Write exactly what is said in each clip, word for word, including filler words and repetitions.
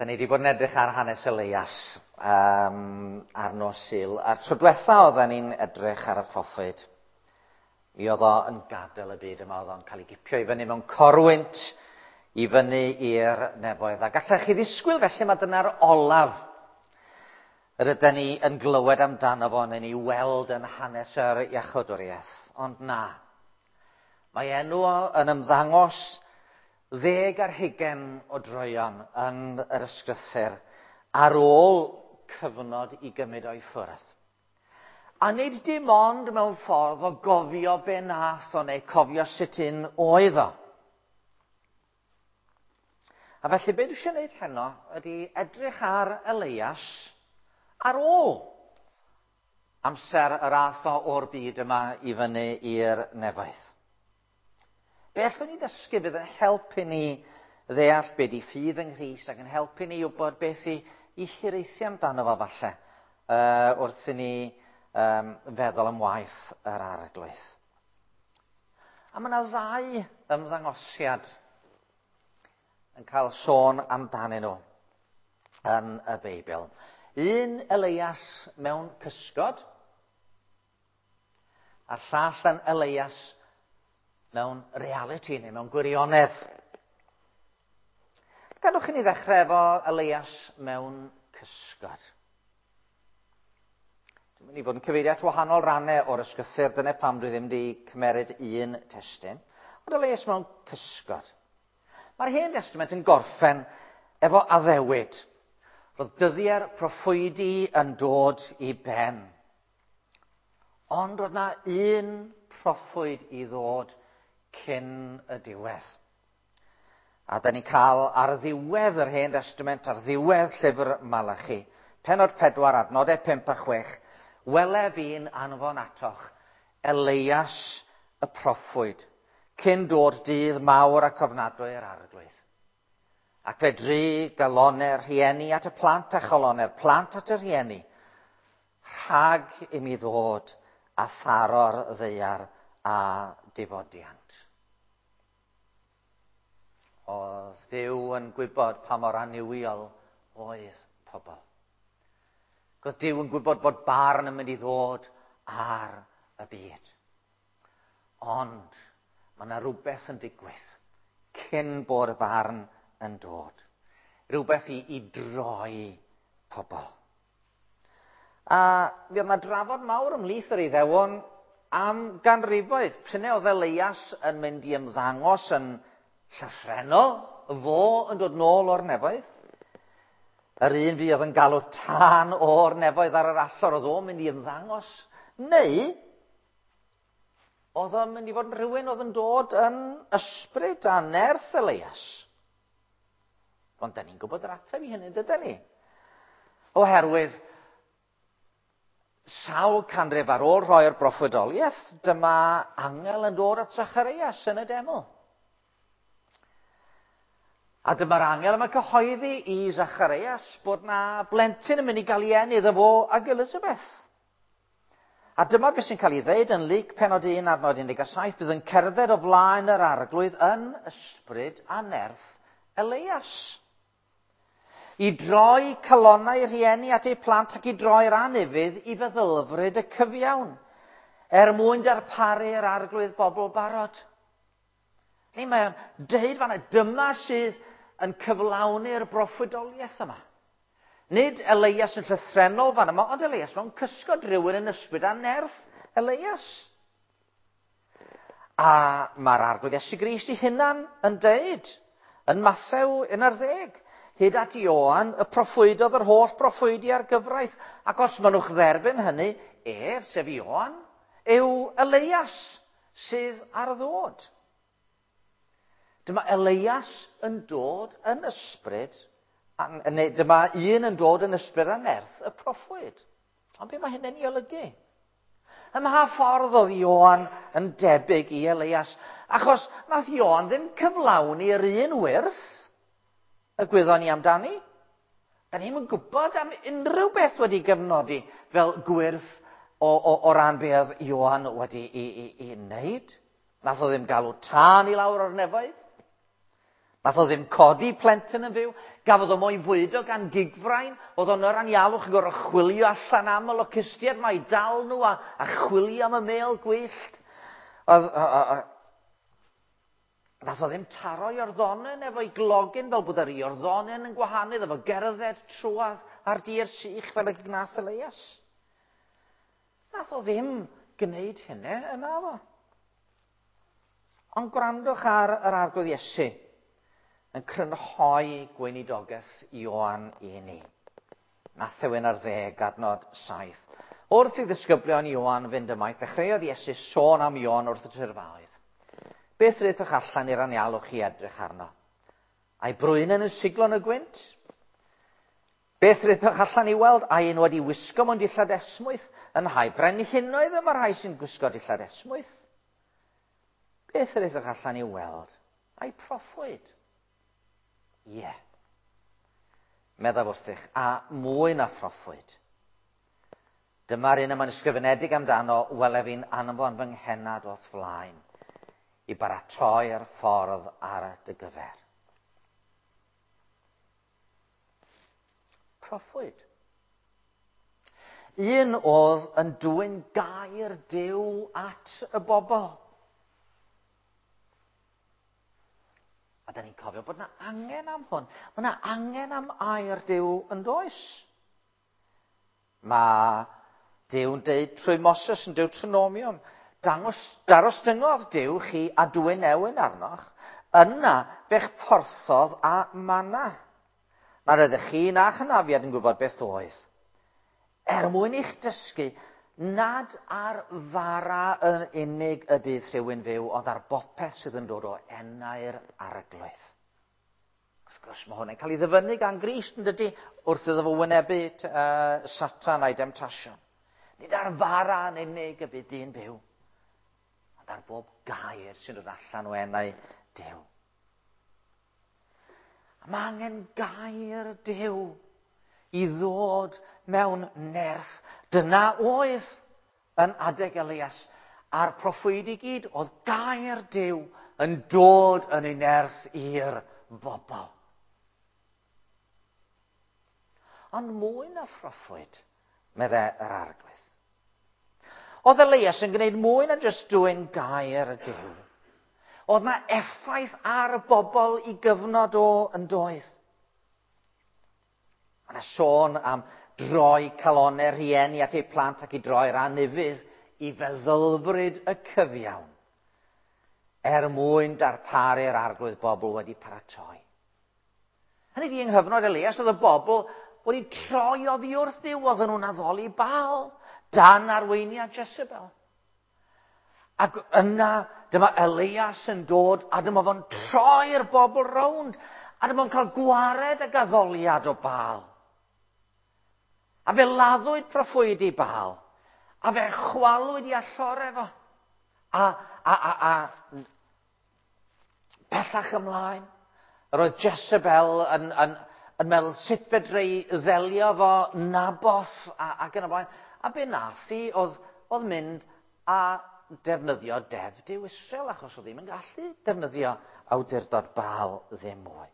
Da ni wedi bod yn edrych ar hanes Elias um, ar nos Sul. A'r tro diwetha oedden ni'n edrych ar y proffwyd, mi oedd o yn gadael y byd yma, oedd o'n cael ei gipio i fyny mewn corwynt i fyny i'r nefoedd. A gallech chi ddisgwyl felly mae dyna'r olaf yr ydyn ni yn glywed amdano fo neu'n ei weld yn hanes yr iachawdwriaeth. Ond na, mae enw o yn ymddangos ddeg ar hugain o droeon yn yr ysgrythur ar ôl cyfnod i gymryd o'i ffwrdd. A nid dim ond mewn ffordd o gofio be nath o neu cofio sut un oedd o. A felly be dwi eisiau gwneud heno ydy edrych ar Elias ar ôl amser yr ath o o'r byd yma i fyny i'r nefoedd. Be allwn ni ddysgu fydd yn helpu ni ddeall be di ffydd yng Nghrist ac yn helpu ni wybod beth i, i hiraethu amdano fo falle uh, wrth i ni um, feddwl am waith yr Arglwydd. A mae yna ddau ymddangosiad yn cael sôn amdanyn nhw yn y Beibl. Un Elias mewn cysgod, a'r llall yn Elias mewn reality neu mewn gwirionedd. Gadwch i ni ddechrau efo Elias mewn cysgod. Dwi'n mynd i fod yn cyfeirio at wahanol rannau o'r ysgrythur, dyna pam dwi ddim wedi cymeryd un testun. Ond Elias mewn cysgod. Mae'r Hen Testament yn gorffen efo addewid. Roedd dyddiau'r proffwydi yn dod i ben. Ond roedd na un proffwyd i ddod cyn y diwedd. A da ni'n cael ar ddiwedd yr Hen Testament, ar ddiwedd llyfr Malachi, pennod pedwar, adnodau pump a chwech, wele fi'n anfon atoch Elias y proffwyd, cyn dod dydd mawr ac ofnadwy yr Arglwydd. Ac fe dry galonau'r rhieni at y plant a chalonau'r plant at y rhieni, rhag i mi ddod a tharo'r ddaear a difodiant. Oedd Duw yn gwybod pa mor annuwiol oedd pobl. Oedd Duw yn gwybod bod barn yn mynd i ddod ar y byd. Ond mae yna rhywbeth yn digwydd cyn bod y barn yn dod. Rhywbeth i, i droi pobl. A mi oedd yna drafod mawr ymhlith yr Iddewon am ganrifoedd. Pryd oedd Elias yn mynd i ymddangos yn llythrennol, fo yn dod nôl o'r nefoedd. Yr un fi oedd yn galw tân o'r nefoedd ar yr allor, oedd o'n mynd i ymddangos. Neu, oedd o'n mynd i fod yn rhywun oedd yn dod yn ysbryd a nerth Elias. Ond da ni'n gwybod yr ateb i hynny, dydan ni? Oherwydd, sawl canrif ar ôl rhoi'r broffwydoliaeth, dyma angel yn dod at Zacharias yn y deml. A dyma'r angel yma'n cyhoeddi i Zacharias bod na blentyn yn mynd i gael ei eni iddo fo ag Elizabeth. A dyma beth sy'n cael ei ddeud yn Luc pennod un adnod un deg saith, bydd yn cerdded o flaen yr Arglwydd yn ysbryd a nerth Elias. I droi calonnau rhieni at eu plant ac i droi'r anufudd i feddylfryd y cyfiawn, er mwyn darparu'r Arglwydd bobl barod. Neu mae o'n deud fan'na, dyma sydd yn cyflawni'r broffwydoliaeth yma. Nid Elias yn llythrennol fan yma, ond Elias mewn cysgod, rhywun yn ysbryd a nerth Elias. A mae'r Arglwydd Iesu Grist ei hunan yn deud, yn Mathew un ar ddeg, hyd at Ioan, y proffwydodd yr holl broffwydi ar gyfraith, ac os mynnwch dderbyn hynny, ef, sef Ioan, yw Elias sydd ar ddod. Dyma Elias yn dod yn ysbryd, neu dyma un yn dod yn ysbryd a nerth y proffwyd. Ond be mae hynny'n ei olygu? Ym mha ffordd oedd Ioan yn debyg i Elias? Achos nath Ioan ddim cyflawni yr un wyrth y gwyddon ni amdani. Da ni'm yn gwybod am unrhyw beth wedi gyfnodi fel gwyrth o, o, o ran be oedd Ioan wedi i, i, i wneud. Nath o ddim galw tân i lawr o'r nefoedd. Nath o ddim codi plentyn yn fyw, gafodd o mo'i fwydo gan gigfrain, oedd o'n yr anialwch yn gorfod chwilio allan am y locustiaid 'ma i dal nhw a, a chwilio am y mêl gwyllt. Oedd, a, a, a, nath o ddim taro Iorddonen efo'i glogyn fel bod yr Iorddonen yn gwahanu, efo gerdded trwadd ar dir sych fel y gnath Elias. Nath o ddim gwneud hynny yna fo. Ond gwrandwch ar yr Arglwydd Iesu yn crynhoi gweinidogaeth Ioan i ni. Mathew un ar ddeg, adnod saith. Wrth i ddisgyblion Ioan fynd ymaith, dechreuodd Iesu sôn am Ioan wrth y tyrfaoedd. Beth rydych allan i'r anialwch i edrych arno? A'i brwynen yn siglo yn y gwynt? Beth rydych allan i weld? Ai un wedi wisgo mewn dillad esmwyth? Yn nhai brenhinoedd y mae'r rhai sy'n gwisgo dillad esmwyth. Beth rydych allan i weld? Ai proffwyd? Ie. Yeah. Meddaf wrthych, a mwy na phroffwyd. Dyma'r un y mae'n ysgrifenedig amdano, wele fi'n anfon fy nghennad o'th flaen, i baratoi'r ffordd ar dy gyfer. Proffwyd. Un oedd yn dwyn gair Duw at y bobl. A da ni'n cofio bod yna angen am hwn. Mae yna angen am air Duw yn does. Mae Duw'n deud trwy Moses yn Deuteronomium, dangos, darostyngodd Duw chi a dwyn newyn arnoch, yna fe'ch porthodd a manna. Nad ydych chi na chynafiad yn gwybod beth oedd. Er mwyn i'ch dysgu nad ar fara yn unig y bydd rhywun fyw, ond ar bopeth sydd yn dod o enau'r Arglwydd. Wrth gwrs, mae hwn yn cael ei ddyfynnu gan Grist, yn dydy, wrth iddo fo wynebu uh, Satan a'i demtasiwn. Nid ar fara yn unig y bydd dyn byw, ond ar bob gair sy'n dod allan o enau Duw. A mae angen gair Duw i ddod mewn nerth. Dyna oedd yn adeg Elias a'r proffwydi gyd, oedd gair Duw yn dod yn ei nerth i'r bobl. Ond mwy na phroffwyd, meddai yr Arglwydd. Oedd Elias yn gwneud mwy na jyst dwyn gair y Duw. Oedd na effaith ar y bobl i gyfnod o yn doedd. Mae yna sôn am droi calonnau rhieni at eu plant ac i droi'r anufudd i feddylfryd y cyfiawn, er mwyn darparu'r Arglwydd bobl wedi paratoi. Hynny di, yng nghyfnod Elias, oedd y bobl wedi troi oddi wrth Dduw, oedden nhw'n addoli Baal, dan arweiniad Jezebel. Ac yna, dyma Elias yn dod, a dyma fo'n troi'r bobl rownd, a dyma fo'n cael gwared ag addoliad o Baal. A fe laddwyd proffwydi Baal, a fe chwalwyd i allore fo. A, a, a, a bellach ymlaen, yr oedd Jezebel yn, yn, yn meddwl sut fedra i ddelio fo Naboth a, ac yn y blaen. A be nath hi oedd, oedd mynd a defnyddio deddf Duw Israel, achos oedd ddim yn gallu defnyddio awdurdod Baal ddim mwy.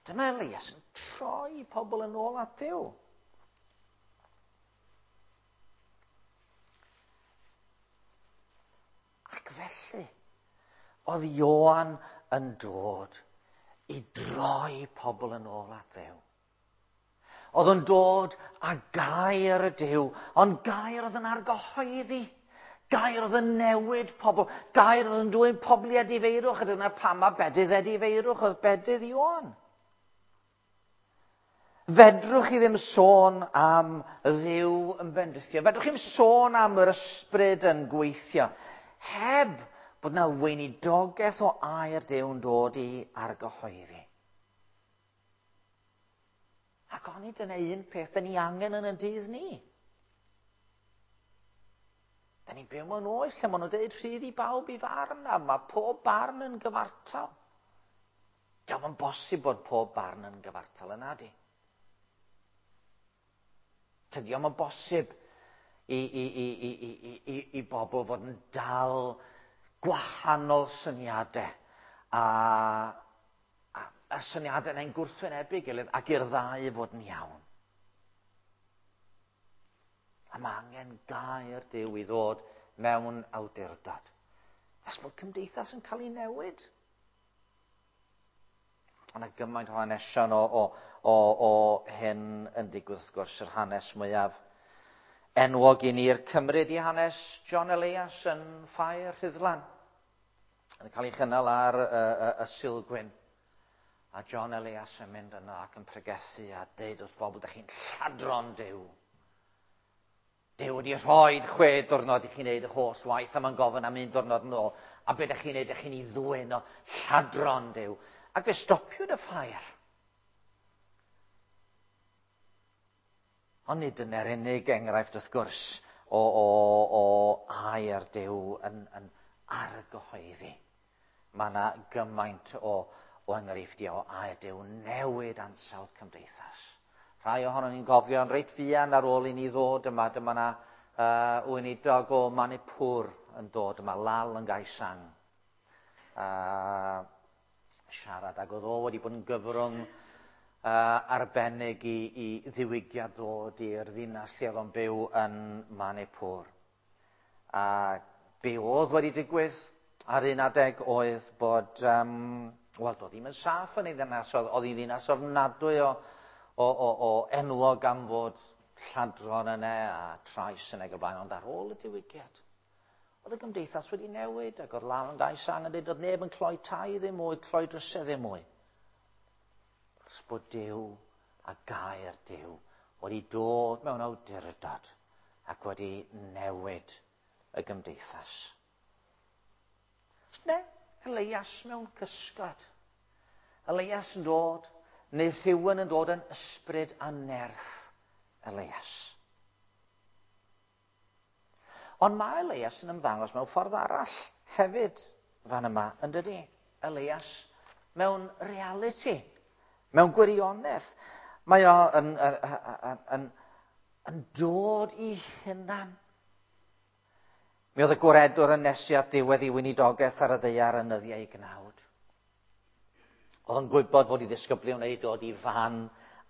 Dyma Elias yn troi pobl yn ôl at Dduw. Ac felly, oedd Ioan yn dod i droi pobl yn ôl at Dduw. Oedd yn dod â gair y Duw, ond gair oedd yn argyhoeddi, gair oedd yn newid pobl, gair oedd yn dwyn pobl i edifeirwch, a dyna pam mae bedydd edifeirwch oedd bedydd Ioan. Fedrwch chi ddim sôn am Dduw yn bendithio, fedrwch chi ddim sôn am yr ysbryd yn gweithio, heb bod yna weinidogaeth o air Duw yn dod i argyhoeddi. Ac onid dyna un peth da ni angen yn y dydd ni. Da ni'n byw mewn oes lle maen nhw'n dweud rhydd i bawb i farn, a mae pob barn yn gyfartal. Dio'm yn bosib bod pob barn yn gyfartal yna di. Tydi o'm yn bosib i, i, i, i, i, i, i bobl fod yn dal gwahanol syniadau a y syniadau yna'n gwrthwynebu gilydd ac i'r ddau fod yn iawn. A mae angen gair Duw i ddod mewn awdurdod. Nes bod cymdeithas yn cael ei newid. Mae yna gymaint o hanesion o, o, o, o hyn yn digwydd, wrth gwrs, yr hanes mwyaf enwog i ni'r Cymru di hanes John Elias yn Ffair Rhuddlan. Yn cael ei chynnal ar y, y, y Sulgwyn. A John Elias yn mynd yno ac yn pregethu a deud wrth bobl, "Dych chi'n lladron Duw. Duw wedi rhoi chwe diwrnod i chi wneud y holl waith a mae'n gofyn am un diwrnod yn ôl. A be ydych chi'n wneud? Ydych chi'n ei ddwyn o, lladron Duw." Ac fe stopiwyd y ffair. Ond nid dyna'r unig enghraifft, wrth gwrs, o, o, o air Duw yn, yn argyhoeddi. Mae yna gymaint o, o enghreifftiau o air Duw newid ansawdd cymdeithas. Rhai ohonon ni'n gofio yn reit fuan ar ôl i ni ddod yma, dyma yna uh, weinidog o Manipur yn dod yma, Lal yn Gaisang. Uh, siarad, ac oedd o wedi bod yn gyfrwng uh, arbennig i, i ddiwygiad ddod i'r ddinas lle oedd o'n byw yn Manipur. A be oedd wedi digwydd ar un adeg oedd bod, um, wel, doedd ddim yn saff yn ei ddinas, oedd, oedd hi'n ddinas ofnadwy o, o, o, o enwog am fod lladron yna a trais yn ei blaen, ond ar ôl y diwygiad, oedd y gymdeithas wedi newid, ac oedd Lal yn Gaisang yn dweud oedd neb yn cloi tai ddim mwy, cloi drysau ddim mwy. Achos bod Duw a gair Duw wedi dod mewn awdurdod ac wedi newid y gymdeithas. Ne, Elias mewn cysgod. Elias yn dod, neu rhywun yn dod yn ysbryd a nerth Elias. Ond mae Elias yn ymddangos mewn ffordd arall hefyd fan yma, yn dydi? Elias mewn reality, mewn gwirionedd. Mae o yn, yn, yn, yn, yn dod i hunan. Mi oedd y gwaredwr yn nesu at ddiwedd ei weinidogaeth ar y ddaear yn nyddiau ei gnawd. Oedd yn gwybod fod ei ddisgyblion wedi dod i fan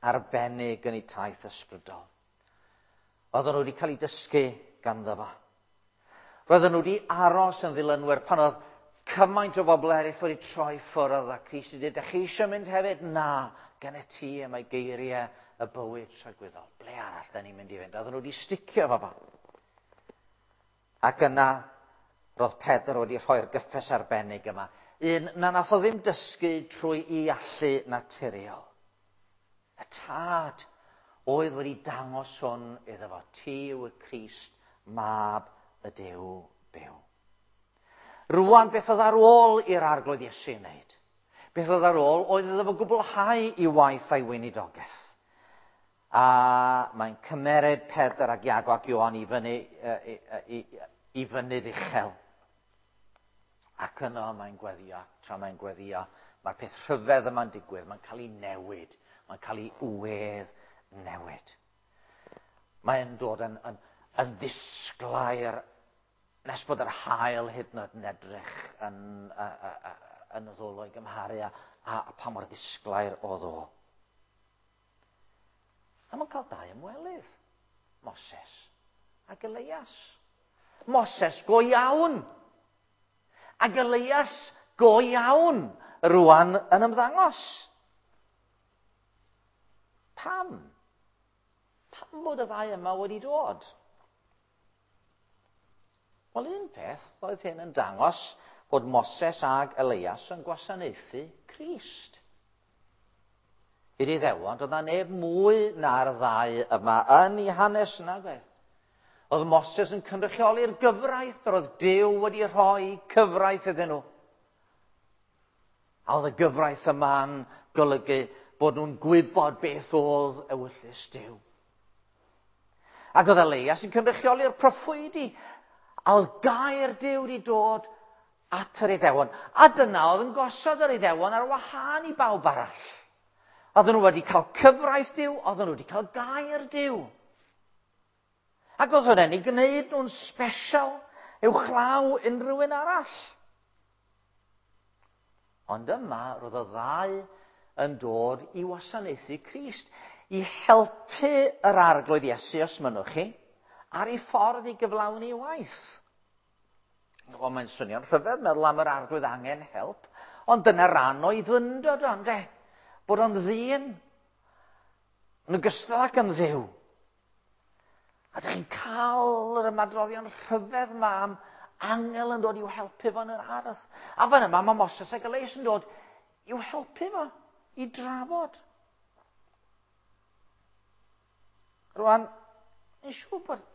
arbennig yn eu taith ysbrydol. Oedden nhw wedi cael eu dysgu ganddo fo. Roedden nhw wedi aros yn ddilynwyr pan oedd cymaint o bobl eraill wedi troi ffwrdd a Crist wedi dweud, "Dych chi eisiau mynd hefyd?" "Na, gen i ti y mae geiriau y bywyd tragwyddol. Ble arall da ni'n mynd i fynd?" Oedden nhw wedi sticio fo fo. Ac yna, roedd Pedr wedi rhoi'r gyffes arbennig yma. Un na nath o ddim dysgu trwy ei allu naturiol. Y Tad oedd wedi dangos hwn iddo fo. "Ti yw y Crist, mab y Duw byw." Rwan, beth oedd ar ôl i'r Arglwydd Iesu wneud? Beth oedd ar ôl oedd iddo fo gwblhau i waith a'i weinidogaeth. A mae'n cymeryd Pedr ac Iago ac Ioan i fyny, i, i, i fynydd uchel. Ac yno mae'n gweddio, tra mae'n gweddio, mae'r peth rhyfedd yma'n digwydd, mae'n cael ei newid, mae'n cael ei wedd newid. Mae'n dod yn, yn, yn ddisglair nes bod yr haul hyd yn oed yn edrych yn, yn y ddolo i gymharu a, a, a pa mor ddisglair oedd o. A mae'n cael dau ymwelydd, Moses ac Elias. Moses go iawn, ac Elias go iawn rwan yn ymddangos. Pam? Pam bod y ddau yma wedi dod? Wel, un peth oedd hyn yn dangos bod Moses ag Elias yn gwasanaethu Crist. I'r Iddewon, doedd na neb mwy na'r ddau yma yn ei hanes nag oedd. Oedd Moses yn cynrychioli'r gyfraith, yr oedd Duw wedi rhoi cyfraith iddyn nhw. A oedd y gyfraith yma'n golygu bod nhw'n gwybod beth oedd ewyllys Duw. Ac oedd Elias yn cynrychioli'r proffwydi, a oedd gair Duw wedi dod at yr Iddewon. A dyna oedd yn gosod yr Iddewon ar wahân i bawb arall. Oedden nhw wedi cael cyfraith Duw, oedden nhw wedi cael gair Duw. Ac oedd hwnna'n ei gwneud nhw'n special uwchlaw unrhyw un arall. Ond yma, roedd y ddau yn dod i wasanaethu Crist, i helpu yr Arglwydd Iesu, os mynnwch chi, ar ei ffordd i gyflawni waith. Wel, mae'n swnio'n rhyfedd meddwl am yr Arglwydd angen help, ond dyna ran o'i ddyndod o, ynde? Bod o'n ddyn, yn ogystal ac yn Dduw. A ydych chi'n cael yr ymadroddion rhyfedd yma am angel yn dod i'w helpu fo yn yr ardd. A fan yma mae Moses ac Elias yn dod i'w helpu fo, i drafod. Rwan, yn siŵr bod...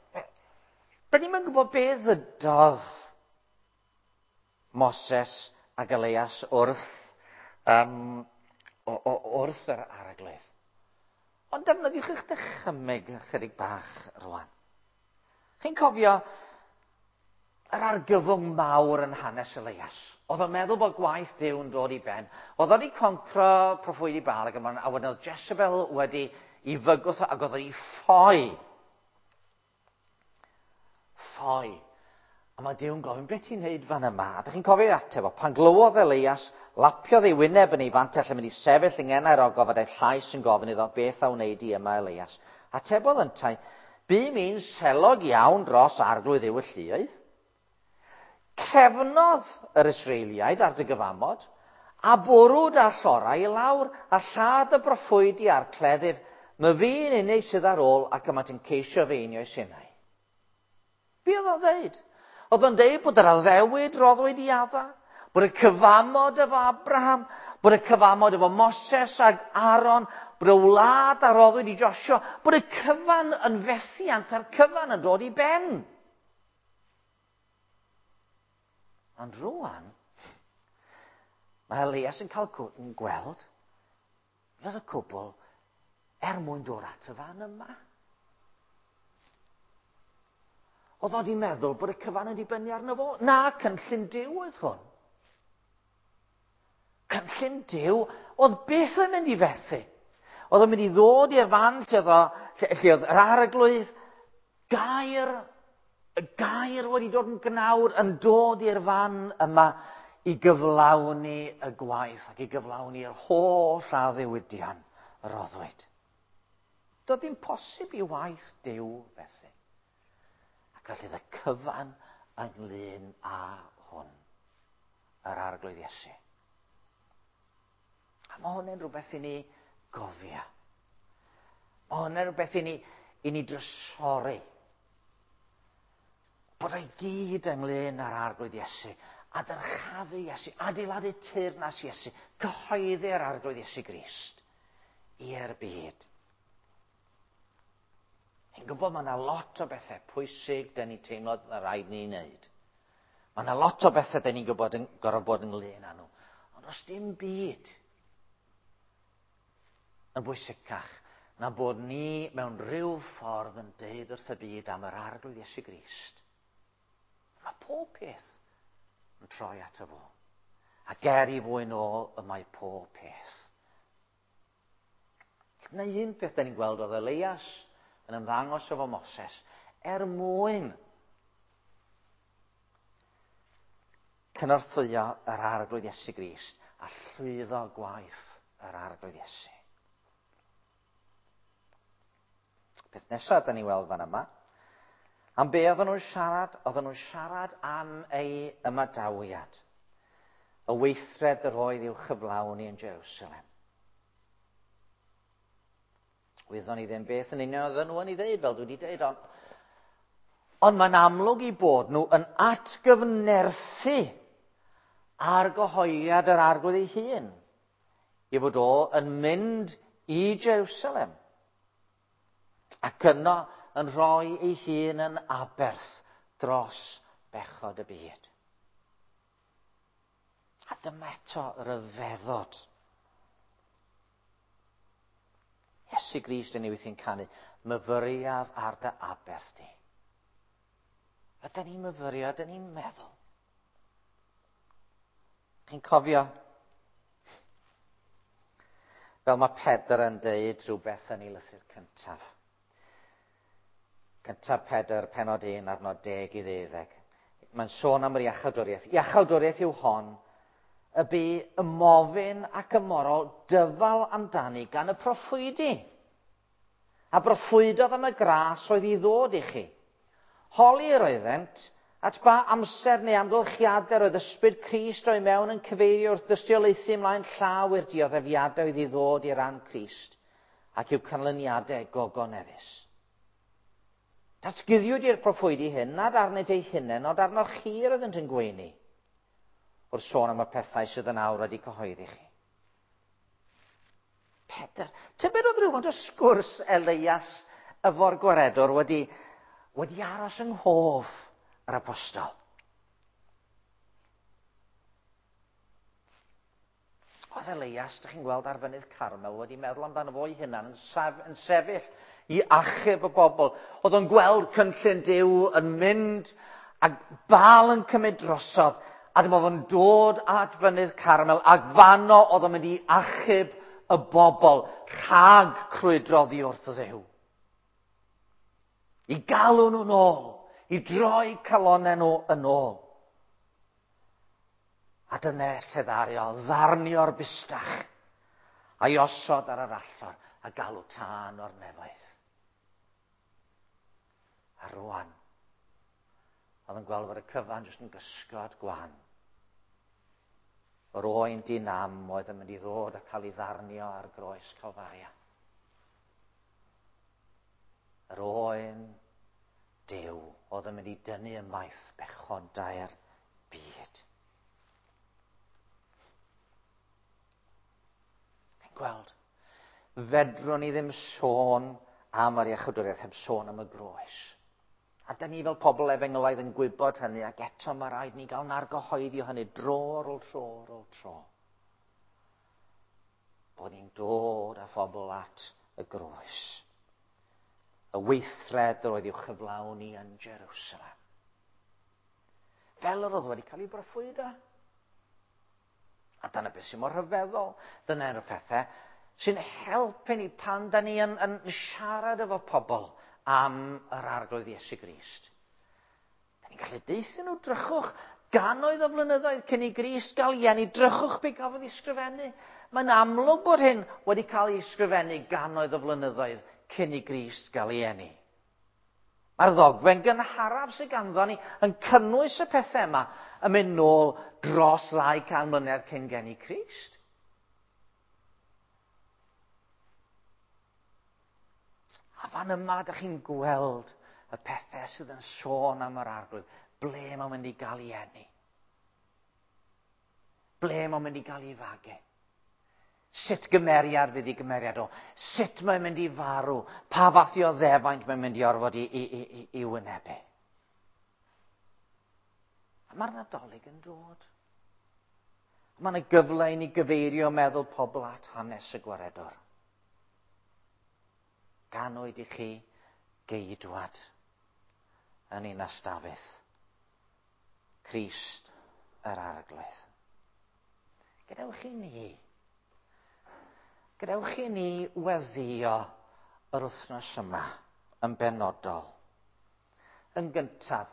Da ni'm yn gwybod beth ddydodd Moses ac Elias wrth, um, o, o, wrth yr Arglwydd. Ond defnyddiwch eich dychymyg ychydig bach rwan. Chi'n cofio yr argyfwng mawr yn hanes Elias? Oedd o'n meddwl bod gwaith Duw yn dod i ben. Oedd o wedi concro proffwydi Baal ac ymlaen, a wedyn oedd Jezebel wedi i fygwth ac oedd o'n ffoi. Ffoi. A mae Duw'n gofyn, beth ti'n neud fan yma? A dych chi'n cofio ateb o, pan glywodd Elias, lapiodd ei wyneb yn ei fantell yn mynd i sefyll yng ngenau'r ogof a daeth llais yn gofyn iddo, beth a wneud i yma, Elias? Atebodd yntau, bu mi'n selog iawn dros Arglwydd Dduw y lluoedd. Cefnodd yr Israeliaid ar dy gyfamod, a bwrw da llorau i lawr, a lladd y broffwydi a'r cleddyf, my fi'n unig sydd ar ôl ac yma ti'n ceisio fy einioes innau. Be oedd o'n dweud? Oedd o'n deud bod yr addewid roddwyd i Adda, bod y cyfamod efo Abraham, bod y cyfamod efo Moses ag Aaron, bod y wlad a roddwyd i Joshua, bod y cyfan yn fethiant a'r cyfan yn dod i ben. Ond rwan, mae Elias yn cael gweld fod y cwbl er mwyn dod at y fan yma. Oedd o wedi meddwl bod y cyfan yn dibynnu arno fo. Na, cynllun Duw oedd hwn. Cynllun Duw oedd byth yn mynd i fethu. Oedd o'n mynd i ddod i'r fan lle oedd, o, lle, lle oedd yr Arglwydd, gair, y gair wedi dod yn gnawd, yn dod i'r fan yma i gyflawni y gwaith ac i gyflawni'r holl addewidion roddwyd. Doedd ddim posib i waith Duw fethu. Ac felly y cyfan ynglyn â hwn, yr Arglwydd Iesu. A mae hwn yn rhywbeth i ni gofio. Mae hwn yn rhywbeth i ni, i ni drysori. Bod o'i gyd ynglyn â'r Arglwydd Iesu, a dyrchafu Iesu, adeiladu teyrnas Iesu, cyhoeddi'r Arglwydd Iesu Grist i'r byd. Yn gwybod mae yna lot o bethau pwysig dyn ni'n teimlo na rhaid ni'n wneud. Mae yna lot o bethau dyn ni'n gwybod yn gorfod bod ynglyn â nhw. Ond os dim byd yn bwysicach na bod ni mewn rhyw ffordd yn deud wrth y byd am yr Arglwydd Iesu Grist. Mae pob peth yn troi ato fo. A ger i fwyn o y mae pob peth. Dyna un peth dyn ni'n gweld oedd Elias yn ymddangos efo Moses, er mwyn cynorthwyo yr Arglwydd Iesu Grist a llwyddo gwaith yr Arglwydd Iesu. Peth nesaf da ni weld fan yma, am be oedden nhw'n siarad? Oedden nhw'n siarad am ei ymadawiad, y weithred yr oedd i'w chyflawni yn Jerusalem. Wyddon ni ddim beth yn union oedden nhw yn ei ddeud, fel dwi wedi dweud, ond, ond mae'n amlwg i bod nhw yn atgyfnerthu argyhoeddiad yr Arglwydd ei hun, i fod o yn mynd i Jerusalem, ac yno yn rhoi ei hun yn aberth dros bechod y byd. A dyma eto ryfeddod. Iesu Grist yn ei weithiau'n canu, myfyriaf ar dy aberth di. Ydyn ni'n myfyrio, ydyn ni'n meddwl. Chi'n cofio? Fel mae Pedr yn deud rhywbeth yn ei lythyr cyntaf. Cyntaf Pedr, penod un, arnod deg i ddeuddeg. Mae'n sôn am yr iachawdwriaeth. Iachawdwriaeth yw hon, y bu ymofyn ac ymorol dyfal amdani gan y proffwydi. A broffwydodd am y gras oedd i ddod i chi. Holi yr oeddent at ba amser neu amgylchiadau oedd ysbryd Crist o'i mewn yn cyfeirio wrth dystiolaethu ymlaen llaw i'r dioddefiadau oedd i ddod i ran Crist ac i'w canlyniadau gogoneddus. Datguddiwyd i'r proffwydi hyn nad arnynt eu hunain, ond arnoch chi yr oeddent yn gweini, wrth sôn am y pethau sydd yn awr wedi cyhoeddi chi. Pedr, tybed oedd rhywfaint o sgwrs Elias efo'r gwaredwr wedi, wedi aros yng nghof yr apostol. Oedd Elias, dych chi'n gweld ar fynydd Carmel, wedi meddwl amdano fo'i hunan yn, sef, yn sefyll i achub y bobl. Oedd o'n gweld cynllun Duw yn mynd a Baal yn cymryd drosodd, a dyma fo'n dod at fynydd Carmel, ac fanno oedd o'n mynd i achub y bobl rhag crwydro oddi wrth Dduw. I galw nhw'n ôl, i droi calonnau nhw yn ôl. A dyna lle ddaru o ddarnio'r bustach a'i osod ar yr allor a galw tân o'r nefoedd. A rwan, oedd yn gweld fod y cyfan jyst yn gysgod gwan. Yr oen dinam oedd yn mynd i ddod a cael ei ddarnio ar groes Calfaria. Yr oen Duw oedd yn mynd i dynnu ymaith bechodau'r byd. Chi'n gweld, fedrwn ni ddim sôn am yr iachawdwriaeth heb sôn am y groes. A da ni fel pobl efengylaidd yn gwybod hynny, ac eto mae rhaid ni gael nargyhoeddi o hynny dro ar ôl tro ar ôl tro. Bod ni'n dod â phobl at y groes. Y weithred oedd i'w chyflawni yn Jerusalem. Fel yr oedd wedi cael ei broffwydo. A dyna beth sy'n mor rhyfeddol. Dyna un o'r pethau sy'n helpu ni pan da ni yn, yn siarad efo pobl am yr Arglwydd Iesu Grist. Da ni'n gallu deutha nhw, drychwch, gannoedd o flynyddoedd cyn i Grist gael ei eni, drychwch be gafodd ei sgrifennu. Mae'n amlwg bod hyn wedi cael ei sgrifennu gannoedd o flynyddoedd cyn i Grist gael ei eni. Mae'r ddogfen gynharaf sydd ganddo ni yn cynnwys y pethau yma yn mynd nôl dros ddau can mlynedd cyn geni Crist. A fan yma, dych chi'n gweld y pethau sydd yn sôn am yr Arglwydd. Ble mae'n mynd i gael ei eni? Ble mae'n mynd i gael ei fagu? Sut gymeriad fydd ei gymeriad o? Sut mae'n mynd i farw? Pa fath o ddefaint mae'n mynd i orfod i, i, i, i wynebu? A mae'r Nadolig yn dod. Mae yna gyfle i ni gyfeirio meddwl pobl at hanes y gwaredwr. Ganwyd i chi geidwad yn ninas Dafydd, Crist yr Arglwydd. Gadewch i ni, gadewch i ni weddïo yr wythnos yma yn benodol. Yn gyntaf,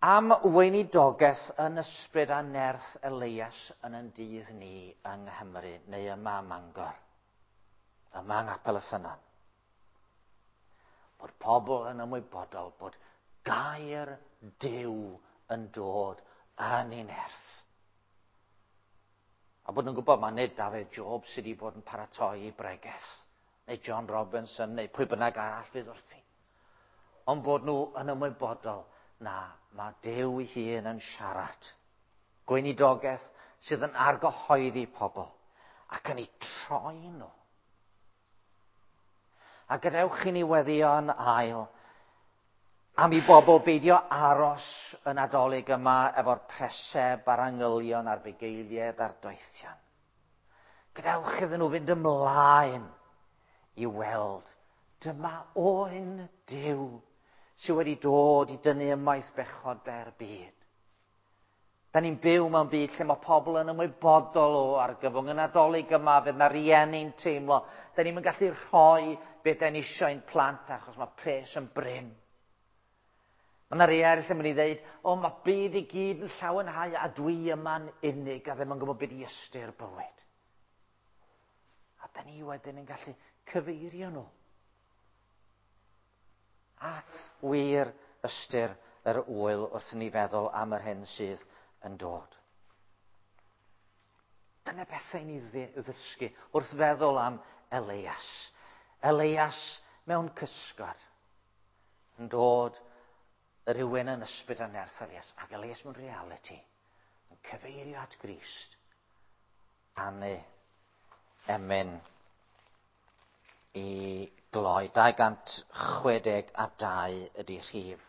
am weinidogaeth yn ysbryd a nerth Elias yn ein dydd ni yng Nghymru, neu yma ym Mangor, yma yng Nghapel y Ffynnon. Bod pobl yn ymwybodol bod gair Duw yn dod yn ei nerth. A bod nhw'n gwybod mae nid Dafydd Job sydd wedi bod yn paratoi i bregeth, neu John Robinson, neu pwy bynnag arall fydd wrthi. Ond bod nhw yn ymwybodol na, mae Duw ei hun yn siarad. Gweinidogaeth sydd yn argyhoeddi pobl ac yn eu troi nhw. A gadewch i ni weddïo yn ail am i bobl beidio aros y Nadolig yma efo'r preseb a'r angylion a'r bugeiliaid a'r doethion. Gadewch iddyn nhw fynd ymlaen i weld dyma oen Duw sydd wedi dod i dynnu ymaith bechodau'r byd. Da ni'n byw mewn byd lle mae pobl yn ymwybodol o argyfwng y Nadolig yma, fydd na rieni'n teimlo. Da ni'n gallu rhoi beth da ni eisiau i'n plant achos mae pres yn brin. Mae yna rei eraill yn mynd i ddeud, o, mae byd i gyd yn llawenhau a dwi yma'n unig a ddim yn gwybod beth i ystyr bywyd. A da ni wedyn yn gallu cyfeirio nhw at wir ystyr yr ŵyl wrth i ni feddwl am yr hyn sydd yn dod. Dyna bethau ni ddysgu wrth feddwl am Elias. Elias mewn cysgod yn dod rhywun yn ysbryd a nerth Elias, ac Elias mewn reality yn cyfeirio at Grist. Canu emyn i gloi. dau gant chwe deg a dau ydy rhif